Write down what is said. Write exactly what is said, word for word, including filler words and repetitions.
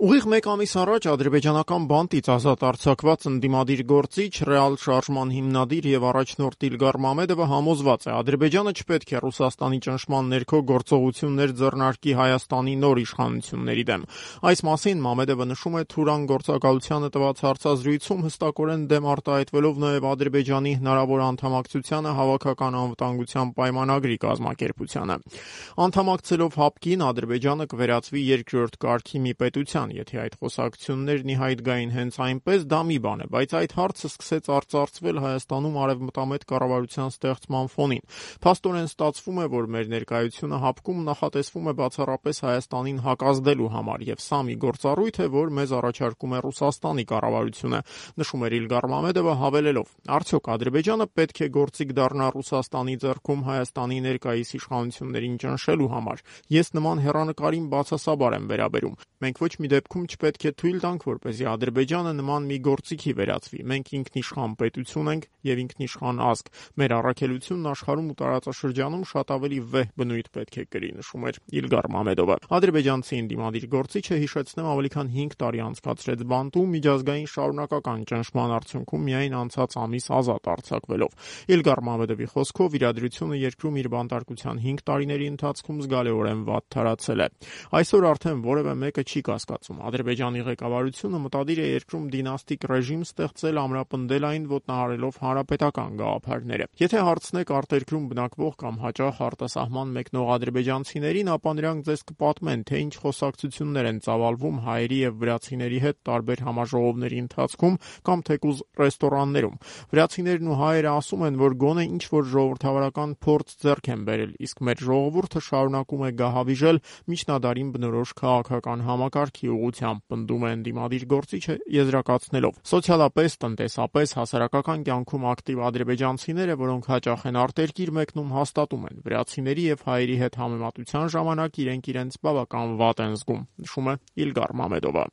Ուղիղ մեկ ամիս առաջ ադրբեջանական բանտից ազատ արձակված ընդդիմադիր գործիչ, ռեալ շարժման հիմնադիր եւ առաջնորդ Իլգար Մամեդովը համոզված է, Ադրբեջանը չպետք է Ռուսաստանի ճնշման ներքո գործողություններ ձեռնարկի Հայաստանի նոր իշխանությունների դեմ։ Այս մասին Մամեդովը նշում է Թուրան գործակալությանը տված հարցազրույցում, հստակորեն դեմ արտահայտվելով նաեւ Ադրբեջանի հնարավոր անդամակցությանը Հավաքական անվտանգության պայմանագրի կազմակերպությանը։ Անդամակցելով ՀԱՊԿ-ին, Ադրբեջանը կվերածվի երկրորդ կարգի մի պետության։ Եթե այդ խոսակցություններն ի հայտ գային հենց այնպես, դա մի բան է, բայց այդ հարցը սկսեց արծարծվել Հայաստանում արևմտամետ կառավարության ստեղծման ֆոնին։ Փաստորեն ստացվում է, որ մեր ներկայությունը ՀԱՊԿ-ում նախատեսվում է բացառապես Հայաստանին հակազդելու համար, եւ սա մի գործառույթ է, որ մեզ առաջարկում է Ռուսաստանի կառավարությունը, նշում էր Իլգար Մամեդովը, հավելելով. Արդյոք Ադրբեջանը պետք է գործիք դառնա Ռուսաստանի ձեռքում Հայաստանի ներկայիս իշխանություններին ճնշելու համար։ Ես նման հեռանկարին բացասաբար եմ վերաբերում։ Մենք ոչ մի դեպքում չպետք է թույլ տանք, որպեսզի Ադրբեջանը նման մի գործիքի վերածվի։ Մենք ինքնիշխան պետություն ենք եւ ինքնիշխան ազգ։ Մեր առաքելությունն աշխարհում ու տարածաշրջանում շատ ավելի վեհ բնույթ պետք է կրի, նշում էր Իլգար Մամեդովը։ Ադրբեջանցի ընդդիմադիր գործիչը, հիշեցնեմ, ավելի քան հինգ տարի անցկացրեց բանտում միջազգային շարունակական ճնշման արդյունքում միայն անցած ամիս ազատ արձակվելով։ Իլգար Մամեդովի խոսքով իրադրությունը երկրում իր բանտարկության հինգ տարիների ընթացքում զգալիորեն վատ թարացել է։ Այսօր արդեն որևէ մեկը չի կասկածում։ Ադրբեջանի ղեկավարությունը մտադիր է երկրում դինաստիկ ռեժիմ ստեղծել, ամրապնդել այն ոտնահարելով հանրապետական գաղափարները։ Եթե հարցնեք արտերկրում բնակվող կամ հաճախ արտասահման մեկնող ադրբեջանցիներին, ապա նրանք ձեզ կպատմեն, թե ինչ խոսակցություններ են ծավալվում հայերի եւ վրացիների հետ տարբեր համաժողովների ընթացքում կամ թեկուզ ռեստորաններում։ Վրացիներն ու հայերը ասում են, որ գոնե ինչ որ ժողովրդավարական փորձ ձեռք են բերել, իսկ մեր ժողովուրդը շարունակում է գահավիժել միջնադարին բնորոշ քաղաքական համակարգի ուղղությամբ, պնդում է ընդդիմադիր գործիչը, եզրակացնելով. Սոցիալապես, տնտեսապես, հասարակական կյանքում ակտիվ ադրբեջանցիները, որոնք հաճախ են արտերկիր մեկնում, հաստատում են, վրացիների եւ հայերի հետ համեմատության ժամանակ իրենք իրենց բավական վատ են զգում, նշում է Իլգար Մամեդովը։